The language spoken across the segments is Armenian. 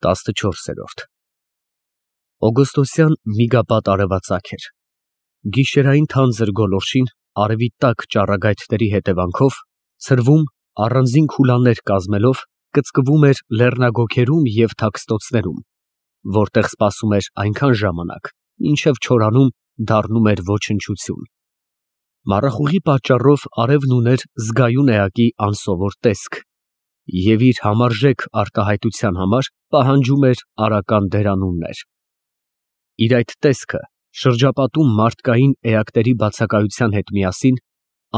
14-րդ Օգոստոսյան միգապատ արևածագ էր։ Գիշերային թանձր գոլորշին արևի տաք ճառագայթների հետևանքով ցրվում, առանձին քուլաներ կազմելով, կծկվում էր լեռնագոգերում և թաքստոցներում, որտեղ սպասում էր այնքան ժամանակ, մինչև չորանում դառնում էր ոչնչություն։ Մառախուղի պատճառով արևն ուներ զգայուն էակի անսովոր տեսք և իր համարժեք արտահայտության համար պահանջում էր արական դերանուններ։ Իր այդ տեսքը շրջապատում մարդկային էակների բացակայության հետ միասին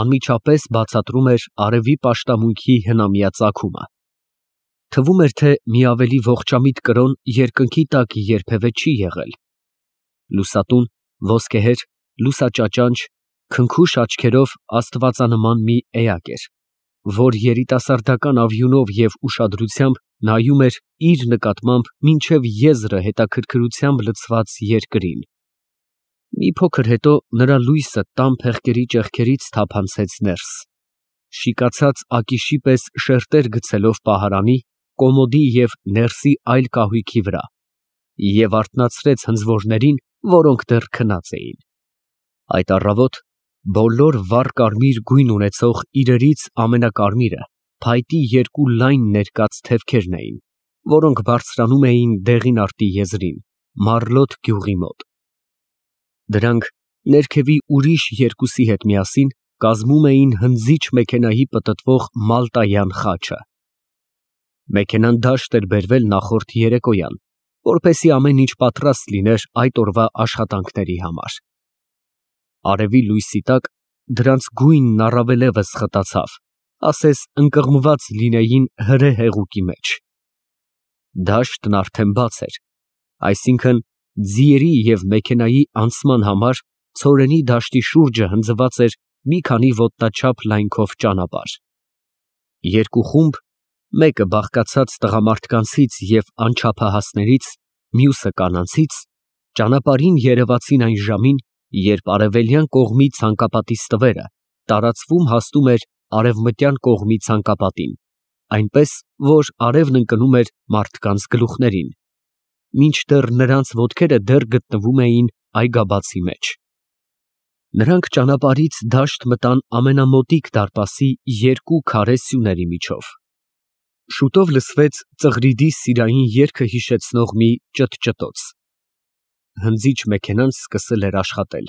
անմիջապես բացատրում էր արևի պաշտամունքի հնամյա ծագումը։ Թվում էր, թե մի ավելի ողջամիտ կրոն երկնքի տակ երբևէ չի եղել։ Լուսատուն, ոսկեհեր, լուսաճաճանճ, քնքուշ աչքերով աստվածանման մի էակ էր, որ երիտասարդական ավյունով և ուշադրությամբ նայում էր իր նկատմամբ մինչև եզրը հետաքրքրությամբ լցված երկրին։ Մի փոքր հետո նրա լույսը տան փեղկերի ճեղքերից թափանցեց ներս, շիկացած ակիշի պես շերտեր գցելով պահարանի, կոմոդի և ներսի այլ կահույքի վրա և արթնացրեց հնձորներին, որոնք դեռ քնած էին։ Այդ առավոտ բոլոր վառ կարմիր գույն ունեցող իրերից ամենակարմիրը փայտի երկու լայն ներկած թևքերն էին, որոնք բարձրանում էին Դեղինարտի եզրին, Մարլոտ գյուղի մոտ։ Դրանք ներքևի ուրիշ երկուսի հետ միասին կազմում էին հնձիչ մեքենայի պտտվող մալտայան խաչը։ Մեքենան դաշտ էր բերվել նախորդ երեկոյան, որպեսզի ամեն ինչ պատրաստ լիներ այդ օրվա աշխատանքների համար։ Արևի լույսի տակ դրանց գույնն առավելևս խտացավ, ասես ընկղմված լինեին հրե հեղուկի մեջ։ Դաշտն արդեն բաց էր, այսինքն ձիերի և մեքենայի անցման համար ցորենի դաշտի շուրջը հնձված էր մի քանի ոտնաչափ լայնքով ճանապարհ։ Երկու խումբ, մեկը բաղկացած տղամարդկանցից և անչափահասներից, մյուսը կանանցից, ճանապարհին երևացին այն ժամին, երբ արևելյան կողմի ցանկապատի ստվերը տարածվում հասնում էր արևմտյան կողմի ցանկապատին, այնպես, որ արևն ընկնում էր մարդկանց գլուխներին, մինչդեռ նրանց ոտքերը դեռ գտնվում էին այգաբացի մեջ։ Նրանք ճանապարհից դաշտ մտան ամենամոտիկ դարպասի երկու քարե սյուների միջով։ Շուտով լսվեց ծղրիդի սիրային երգը հիշեցնող մի ճթճթոց։ Հնձիչ մեքենան սկսել էր աշխատել,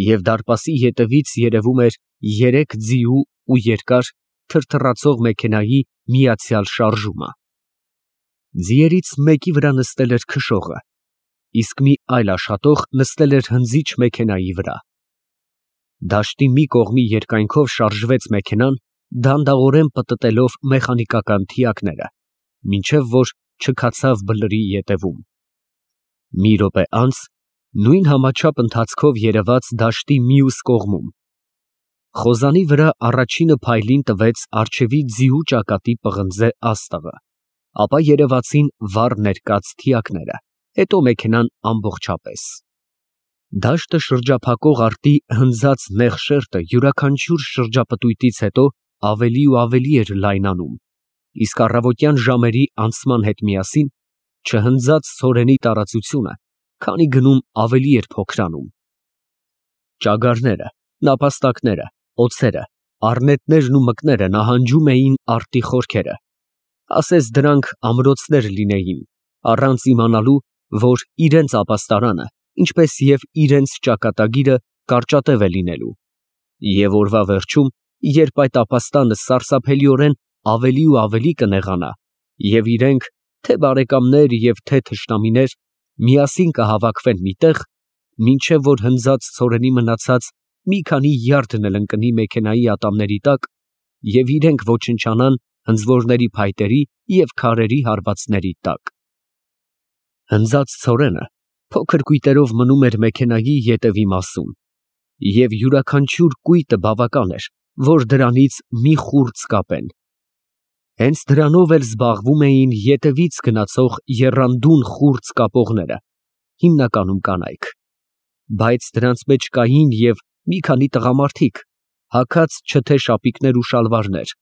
և դարպասի ետևից երևում էր երեք ձիու ու երկար, թրթռացող մեքենայի միացյալ շարժումը։ Ձիերից մեկի վրա նստել էր քշողը, իսկ մի այլ աշխատող նստել էր հնձիչ մեքենայի վրա։ Դաշտի մի կողմի երկայնքով շարժվեց մեքենան, դանդաղորեն պտտելով մեխանիկական թիակները, մինչև որ չքացավ բլրի ետևում։ Մի րոպե անց նույն համաչափ ընթացքով երևաց դաշտի մյուս կողմում։ Խոզանի վրա առաջինը փայլին տվեց առջևի ձիու ճակատի պղնձե աստղը, ապա երևացին վառ ներկած թիակները, հետո մեքենան ամբողջապես։ Դաշտը շրջափակող արտի հնձած նեղ շերտը յուրաքանչյուր շրջապտույտից հետո ավելի ու ավելի էր լայնանում, իսկ առավոտյան ժամերի անցման հետ միասին չհնձած ցորենի տարածությունը քանի գնում ավելի էր փոքրանում։ Ճագարները, նապաստակները, օձերը, առնետներն ու մկները նահանջում էին արտի խորքերը, ասես դրանք ամրոցներ լինեին, առանց իմանալու, որ իրենց ապաստարանը, ինչպես և իրենց ճակատագիրը կարճատև է լինելու, և օրվա վերջում, երբ այդ ապաստանը սարսափելիորեն ավելի ու ավելի կնեղանա, և իրենք, թե բարեկամներ և թե թշնամիներ, միասին կհավաքվեն մի տեղ, մինչև որ հնձած ցորենի մնացած մի քանի յարդն էլ ընկնի մեքենայի ատամների տակ և իրենք ոչնչանան հնձորների փայտերի և քարերի հարվածների տակ։ Հնձած ցորենը փոքր կույտերով մնում էր մեքենայի ետևի մասում, և յուրաքանչյուր կույտը բավական էր, որ դրանից մի խուրձ կապեն։ Հենց դրանով էլ զբաղվում էին ետևից գնացող եռանդուն խուրձ կապողները, հիմնականում կանայք, բայց դրանց մեջ կային և մի քանի տղամարդիկ, հագած չթե շապիկներ ու շալվարներ,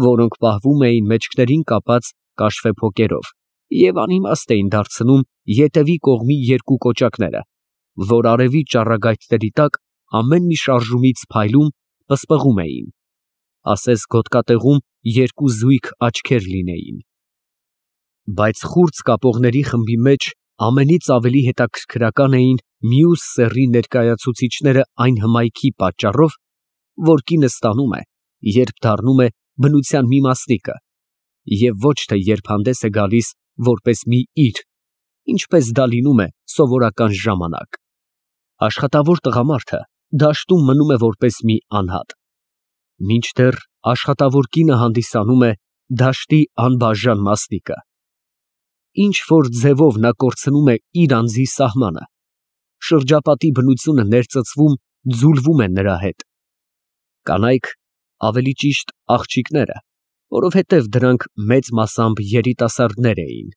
որոնք պահվում էին մեջքներին կապած կաշվե փոկերով և անիմաստ էին դարձնում ետևի կողմի երկու կոճակները, որ արևի ճառագայթների տակ ամեն մի շարժումից փայլում, պսպղում էին, ասես գոտկատեղում երկու զույգ աչքեր լինեին։ Բայց խուրձ կապողների խմբի մեջ ամենից ավելի հետաքրքրական էին մյուս սեռի ներկայացուցիչները այն հմայքի պատճառով, որ կինը ստանում է, երբ դառնում է բնության մի մասնիկը, և ոչ թե երբ հանդես է գալիս որպես մի իր, ինչպես դա լինում է սովորական ժամանակ։ Աշխատավոր տղամարդը դաշտում մնում է որպես մի անհատ, մինչդեռ աշխատավոր կինը հանդիսանում է դաշտի անբաժան մասնիկը։ Ինչ որ ձևով նա կորցնում է իր անձի սահմանը, շրջապատի բնությունը ներծծվում, ձուլվում է նրա հետ։ Կանայք, ավելի ճիշտ աղջիկները, որովհետև դրանք մեծ մասամբ երիտասարդներ էին,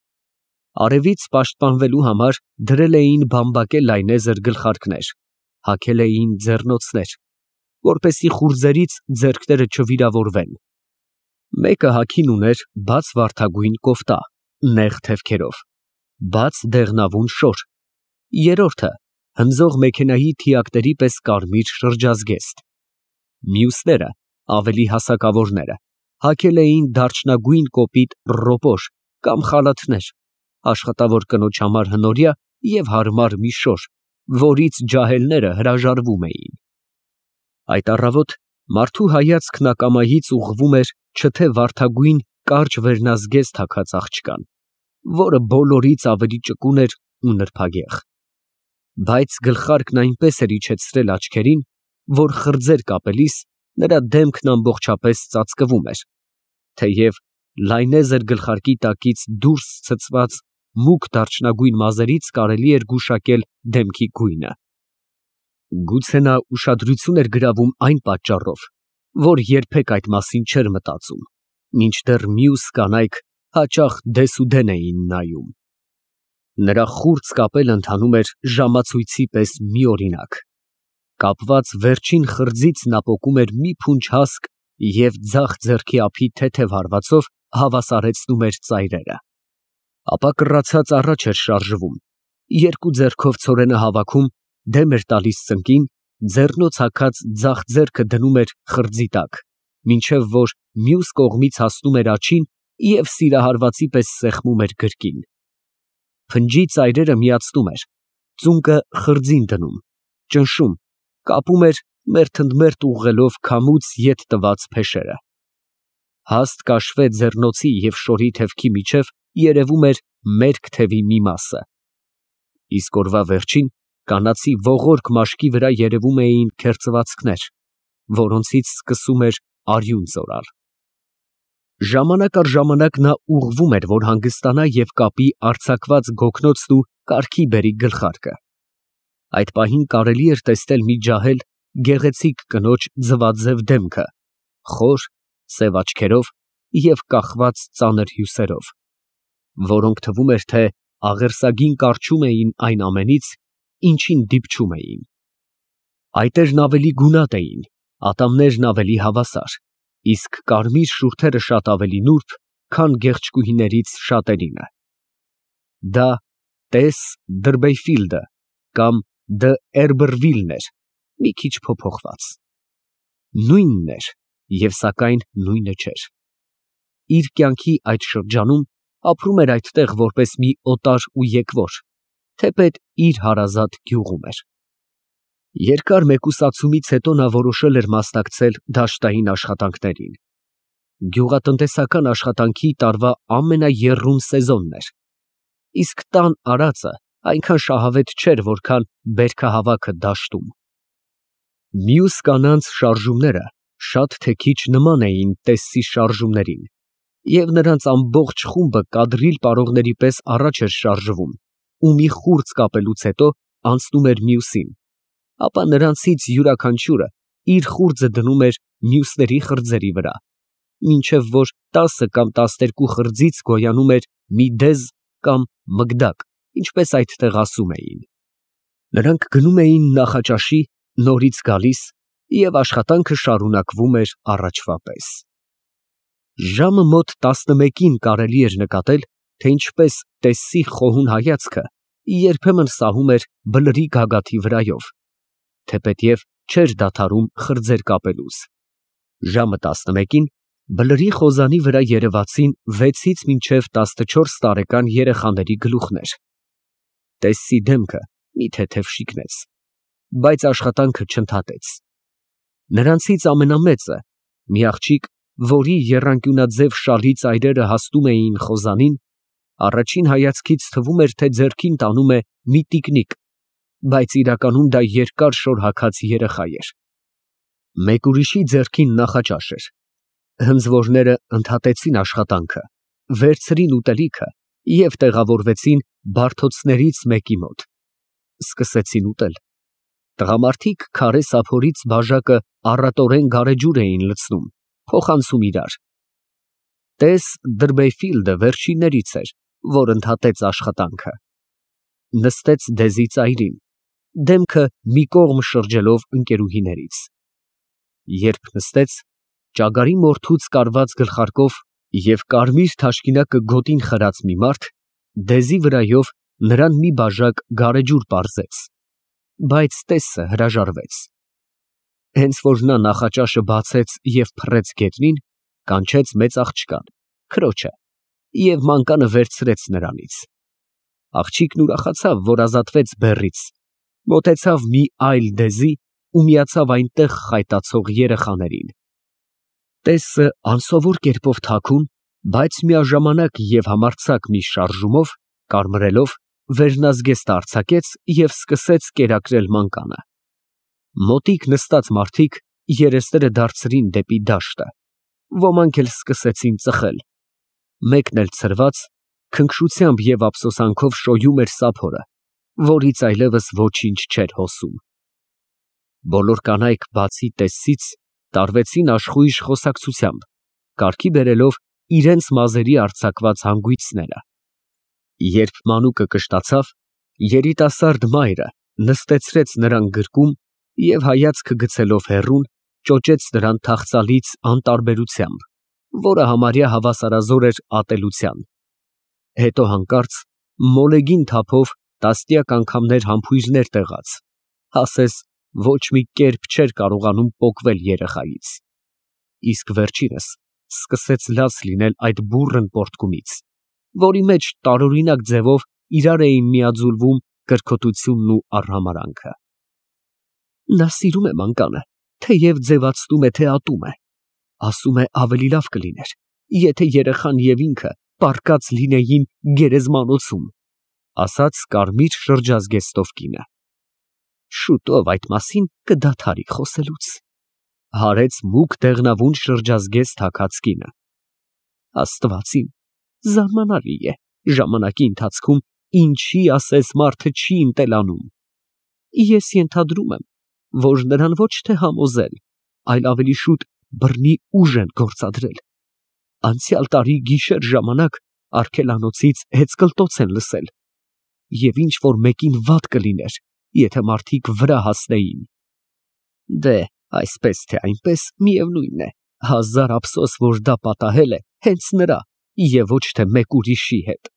արևից պաշտպանվելու համար դրել էին բամբակե լայնեզր գլխարկներ, հագել էին ձեռնոցներ, որպեսզի խուրձերից ձեռքները չվիրավորվեն։ Մեկը հագին ուներ բաց վարդագույն կոֆտա, նեղ թևքերով, բաց դեղնավուն շոր, երրորդը հնձող մեքենայի թիակների պես կարմիր շրջազգեստ։ Մյուսները, ավելի հասակավորները, հագել էին դարչնագույն կոպիտ ռոպոր կամ խալաթներ, աշխատավոր կնոջ համար հնորյա և հարմար մի շոր, որից ջահելները հրաժարվում էին։ Այդ առավոտ մարդու հայացքն ակամայից ուղղվում էր չթե վարդագույն կարճ վերնազգեստ հագած աղջկան, որը բոլորից ավելի ճկուն էր ու նրբագեղ, բայց գլխարկն այնպես էր իջեցրել աչքերին, որ խրձեր կապելիս նրա դեմքն ամբողջապես ծածկվում էր, թեև լայնեզր գլխարկի տակից դուրս ցցված մուգ դարչնագույն մազերից կարելի էր գուշակել դեմքի գույնը։ Գուցե նա ուշադրություն էր գրավում այն պատճառով, որ երբեք այդ մասին չէր մտածում, մինչդեռ մյուս կանայք հաճախ դեսուդեն էին նայում։ Նրա խուրձ կապելը ընթանում էր ժամացույցի պես միօրինակ։ Կապված վերջին խրձից նա պոկում էր մի փունջ հասկ և ձախ ձեռքի ափի թեթև հարվածով հավասարեցնում էր ծայրերը։ Ապա կռացած առաջ էր շարժվում, երկու ձեռքով ցորենը հավաքում, դեմ էր տալիս ծնկին, ձեռնոց հագած ձախ ձեռքը դնում էր խրձի տակ, մինչև որ մյուս կողմից հասնում էր աջին և սիրահարվածի պես սեղմում էր գրկին։ Փնջի ծայրերը միացնում էր, ծունկը խրձին դնում, ճնշում, կապում էր մերթ ընդ մերթ ուղղելով քամուց ետ տված փեշերը։ Հաստ կաշվե ձեռնոցի և շորի թևքի միջև երևում էր մերկ թևի մի մասը, իսկ օրվա վերջին կանացի ողորկ մաշկի վրա երևում էին քերծվածքներ, որոնցից սկսում էր արյուն ծորալ։ Ժամանակ առ ժամանակ նա ուղղվում էր, որ հանգստանա և կապի արձակված գոգնոցն ու կարգի բերի գլխարկը։ Այդ պահին կարելի էր տեսնել մի ջահել գեղեցիկ կնոջ ձվաձև դեմքը, խոր, սև աչքերով և կախված ծանր հյուսերով, որոնք թվում էր, թե աղերսագին կառչում էին այն ամենից, ինչին դիպչում էին։ Այտերն ավելի գունատ էին, ատամներն ավելի հավասար, իսկ կարմիր շուրթերը շատ ավելի նուրբ, քան գեղեցկուհիներից շատերինը։ Դա տես Դրբեյֆիլդը կամ Դը Էրբրվիլն էր, մի քիչ փոփոխված։ Նույնն էր և սակայն նույնը չէր։ Իր կյանքի այդ շրջանում ապրում էր այդտեղ որպես մի օտար ու եկվոր, թեպետ իր հարազատ գյուղում էր։ Երկար մեկուսացումից հետո նա որոշել էր մասնակցել դաշտային աշխատանքներին։ Գյուղատնտեսական աշխատանքի տարվա ամենաեռուն սեզոնն էր, իսկ տան արածը այնքան շահավետ չէր, որքան բերքահավաքը դաշտում։ Մյուս կանանց շարժումները շատ թե քիչ նման էին Տեսսի շարժումներին, և նրանց ամբողջ խումբը կադրիլ պարողների պես առաջ էր շարժվում ու մի խուրձ կապելուց հետո անցնում էր մյուսին, ապա նրանցից յուրաքանչյուրը իր խուրձը դնում էր մյուսների խրձերի վրա, մինչև որ 10 կամ 12 խրձից գոյանում էր մի դեզ կամ մգդակ, ինչպես այդտեղ ասում էին։ Նրանք գնում էին նախաճաշի, նորից գալիս, և աշխատանքը շարունակվում էր առաջվա պես։ Ժամը մոտ 11-ին կարելի էր նկատել, թե ինչպես տեսսի խոհուն հայացքը երբեմն սահում էր բլրի գագաթի վրայով, թեպետև չէր դադարում խրձեր կապելուց։ Ժամը 11-ին բլրի խոզանի վրա երևացին 6-ից մինչև 14 տարեկան երեխաների գլուխներ։ Տեսսի դեմքը մի թեթև շիկնեց, բայց աշխատանքը չընդհատեց։ Նրանցից ամենամեծը, մի աղջիկ, որի եռանկյունաձև շալի ծայրերը հասնում էին խոզանին, առաջին հայացքից թվում էր, թե ձեռքին տանում է մի տիկնիկ, բայց իրականում դա երկար շոր հագած երեխա էր։ Մեկ ուրիշի ձեռքին նախաճաշ էր։ Հնձվորները ընդհատեցին աշխատանքը, վերցրին ուտելիքը և տեղավորվեցին բարդոցներից մեկի մոտ։ Սկսեցին ուտել։ Տղամարդիկ քարե սափորից բաժակը առատորեն գարեջուր էին լցնում, փոխանցում իրար։ Տես Դրբեֆիլդը վերջիններից էր, որ ընդհատեց աշխատանքը։ Նստեց դեզի ծայրին, դեմքը մի կողմ շրջելով ընկերուհիներից։ Երբ նստեց, ճագարի մորթուց կարված գլխարկով և կարմիր թաշկինակը գոտին խրած մի մարդ դեզի վրայով նրան մի բաժակ գարեջուր պարզեց, բայց տեսը հրաժարվեց։ Հենց որ նա նախաճաշը բացեց և փռեց գետնին, կանչեց մեծ աղջկան, քրոջը, և մանկանը վերցրեց նրանից։ Աղջիկն ուրախացավ, որ ազատվեց բեռից, մոտեցավ մի այլ դեզի ու միացավ այնտեղ խայտացող երեխաներին։ Տեսը անսովոր կերպով թաքուն, բայց միաժամանակ և համարձակ մի շարժումով, կարմրելով, վերնազգեստ արձակեց և սկսեց կերակրել մանկանը։ Մոտիկ նստած մարդիկ երեսները դարձրին դեպի դաշտը, ոմանք էլ սկսեցին ծխել։ Մեկն էլ ցրված, քնքշությամբ և ափսոսանքով շոյում էր սափորը, որից այլևս ոչինչ չէր հոսում։ Բոլոր կանայք բացի տեսից տարվեցին աշխույժ խոսակցությամբ, կարգի բերելով իրենց մազերի արձակված հանգույցները։ Երբ մանուկը կշտացավ, երիտասարդ մայրը նստեցրեց նրան գրկում և հայացքը գցելով հեռուն, ճոճեց նրան թախծալից անտարբերությամբ, որը համարյա հավասարազոր էր ատելության։ Հետո հանկարծ մոլեգին թափով տասնյակ անգամներ համբույրներ տեղաց, ասես ոչ մի կերպ չէր կարողանում պոկվել երեխայից։ Իսկ վերջինս սկսեց լաց լինել այդ բուռն պոռթկումից, որի մեջ տարօրինակ ձևով իրար էին միաձուլվում կրքոտությունն ու արհամարհանքը։ Նա սիրում է մանկանը, թեև ձևացնում է, թե ատում է։ Ասում է ավելի լավ կլիներ, եթե երեխան և ինքը պառկած լինեին գերեզմանոցում, ասաց կարմիր շրջազգեստով կինը։ Շուտով այդ մասին կդադարի խոսելուց, հարեց մուգ դեղնավուն շրջազգեստ հագած կինը։ Աստված իմ, զարմանալի է, ժամանակի ընթացքում ինչի ասես մարդը չի ընտելանում։ Ես ենթադրում եմ, որ նրան ոչ թե համոզել, այլ ավելի շուտ բռնի ուժ են գործադրել։ Անցյալ տարի գիշեր ժամանակ արգելանոցից հեծկլտոց են լսել, և ինչ որ մեկին վատ կլիներ, եթե մարդիկ վրա հասնեին։ Դե, այսպես թե այնպես, միևնույն է, հազար ափսոս, որ դա պատահել է հենց նրա և ոչ թե մեկ ուրիշի հետ։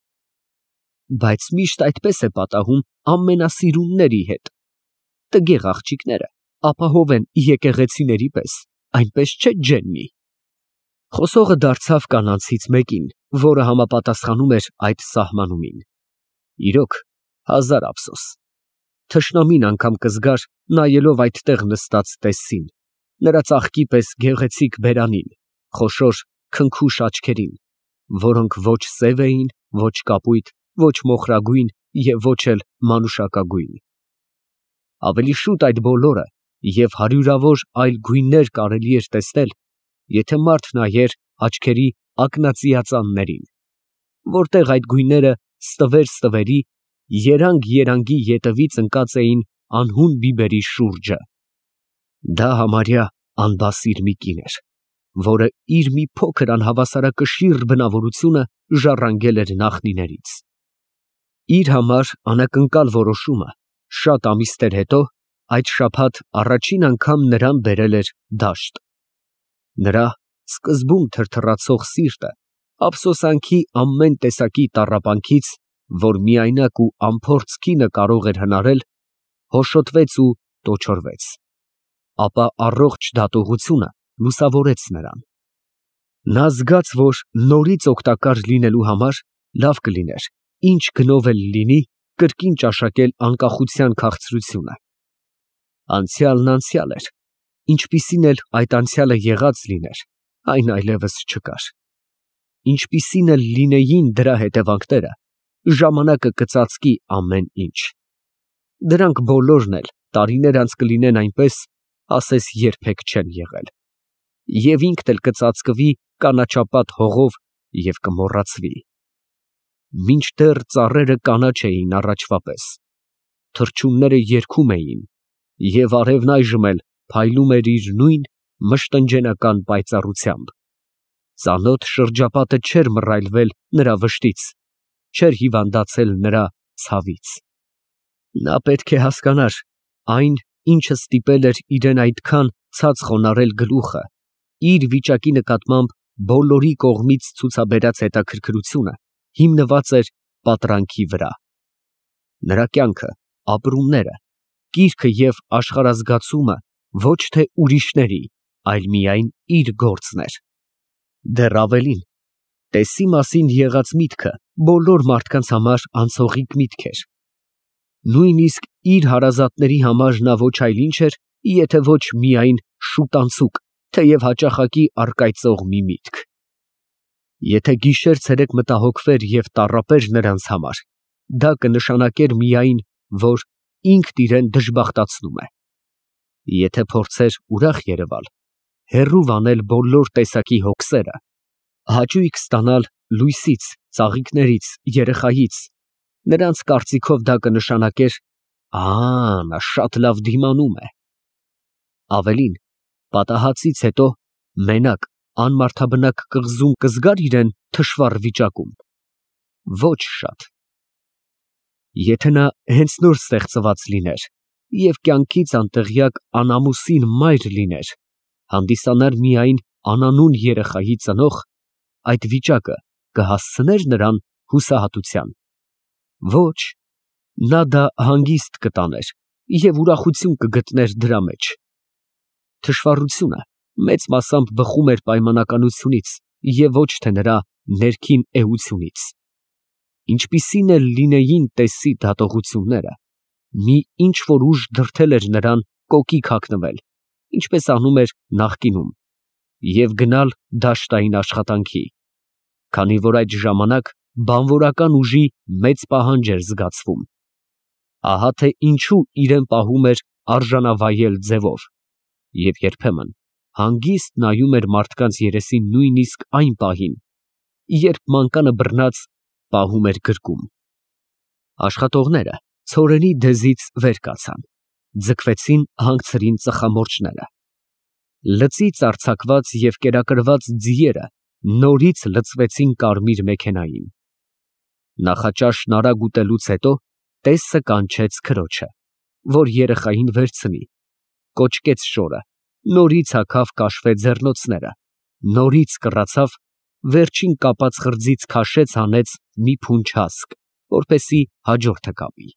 Բայց միշտ այդպես է պատահում ամենասիրունների հետ։ Տգեղ աղջիկները ապահով են եկեղեցիների պես, այնպես չէ Ջեննի։ Խոսողը դարձավ կանանցից մեկին, որը համապատասխանում էր այդ սահմանումին։ Իրոք, հազար ափսոս։ Թշնամին անգամ կզգար, նայելով այդտեղ նստած տեսսին, նրա ծաղկի պես գեղեցիկ բերանին, խոշոր քնքուշ աչքերին, որոնք ոչ սև էին, ոչ կապույտ, ոչ մոխրագույն և ոչ էլ մանուշակագույն։ Ավելի շուտ այդ բոլորը և հարյուրավոր այլ գույններ կարելի էր տեսնել, եթե մարդ նայեր աչքերի ակնածիածաններին, որտեղ այդ գույները ստվեր-ստվերի, երանգ֊երանգի ետևից ընկած էին անհուն բիբերի շուրջը։ Դա համարյա անբասիր մի կին էր, որը իր մի փոքր անհավասարակշիռ բնավորությունը ժառանգել էր նախնիներից։ Իր համար անակնկալ որոշումը շատ ամիսներ հետո այդ շաբաթ առաջին անգամ նրան բերել էր դաշտ։ Նրա սկզբում թրթռացող սիրտը ափսոսանքի ամեն տեսակի տառապանքից, որ միայնակ ու անփորձ կինը կարող էր հնարել, հոշոտվեց ու տոչորվեց, ապա առողջ դատողությունը լուսավորեց նրան։ Նա զգաց, որ նորից օգտակար լինելու համար լավ կլիներ, ինչ գնով էլ լինի, կրկին ճաշակել անկախության քաղցրությունը։ Անցյալն անցյալ էր, ինչպիսին էլ այդ անցյալը եղած լիներ, այն այլևս չկար։ Ինչպիսին էլ լինեին դրա հետևանքները, ժամանակը կծածկի ամեն ինչ։ Դրանք բոլորն էլ տարիներ անց կլինեն այնպես, ասես երբեք չեն եղել, և ինքն էլ կծածկվի կանաչապատ հողով և կմոռացվի։ Մինչդեռ ծառերը կանաչ էին առաջվա պես, թռչունները երգում էին, և արևն այժմ էլ փայլում էր իր նույն մշտնջենական պայծառությամբ, ծանոթ շրջապատը չէր մռայլվել նրա վշտից, չէր հիվանդացել նրա ցավից։ Նա պետք է հասկանար այն, ինչը ստիպել էր իրեն այդքան ցած խոնարհել գլուխը, իր վիճակի նկատմամբ բոլորի կողմից ցուցաբերած հետաքրքրությունը հիմնված էր պատրանքի վրա։ Նրա կյանքը, ապրումները, կիրքը և աշխարհազգացումը ոչ թե ուրիշների, այլ միայն իր գործն էր։ Դեռ ավելին, տեսի մասին եղած միտքը բոլոր մարդկանց համար անցողիկ միտք էր։ Նույնիսկ իր հարազատների համար նա ոչ այլ ինչ էր, եթե ոչ միայն շուտանցուկ, թեև հաճախակի առկայծող մի միտք։ Եթե գիշեր֊ցերեկ մտահոգվեր և տառապեր նրանց համար, դա կնշանակեր միայն, որ ինքն իրան դժբախտացնում է։ Եթե փորձեր ուրախ երևալ, հեռու վանել բոլոր տեսակի հոգսերը, հաճույք ստանալ լույսից, ծաղիկներից, երեխայից, նրանց կարծիքով դա կնշանակեր. նա շատ լավ դիմանում է։ Ավելին, պատահածից հետո մենակ, անմարդաբնակ կղզում կզգա՞ր իրան թշվառ վիճակում։ Ոչ շատ։ Եթե նա հենց նոր ստեղծված լիներ և կյանքից անտեղյակ անամուսին մայր լիներ, հանդիսանար միայն անանուն երեխայի ծնող, այդ վիճակը կհասցնե՞ր նրան հուսահատության։ Ոչ, նա դա հանգիստ կտաներ և ուրախություն կգտներ դրա մեջ։ Թշվառությունը մեծ մասամբ բխում էր պայմանականությունից և ոչ թե նրա ներքին էությունից։ Ինչպիսին էլ լինեին տեսի դատողությունները, մի ինչ֊որ ուժ դրդել էր նրան կոկիկ հագնվել, ինչպես անում էր նախկինում, և գնալ դաշտային աշխատանքի, քանի որ այդ ժամանակ բանվորական ուժի մեծ պահանջ էր զգացվում։ Ահա թե ինչու իրան պահում էր արժանավայել ձևով և երբեմն հանգիստ նայում էր մարդկանց երեսին նույնիսկ այն պահին, երբ մանկանը բռնած պահում էր գրկում։ Աշխատողները ցորենի դեզից վեր կացան, ձգվեցին հանգցրին ծխամորճները։ Լծից արձակված և կերակրված ձիերը նորից լցվեցին կարմիր մեքենային։ Նախաճաշն արագ ուտելուց հետո տեսը կանչեց քրոջը, որ երեխային վերցնի, կոճկեց շորը, նորից հագավ կաշվե ձեռնոցները, նորից կռացավ, վերջին կապած խրձից քաշեց հանեց մի փունջ հասկ, որպեսզի հաջորդը կապի։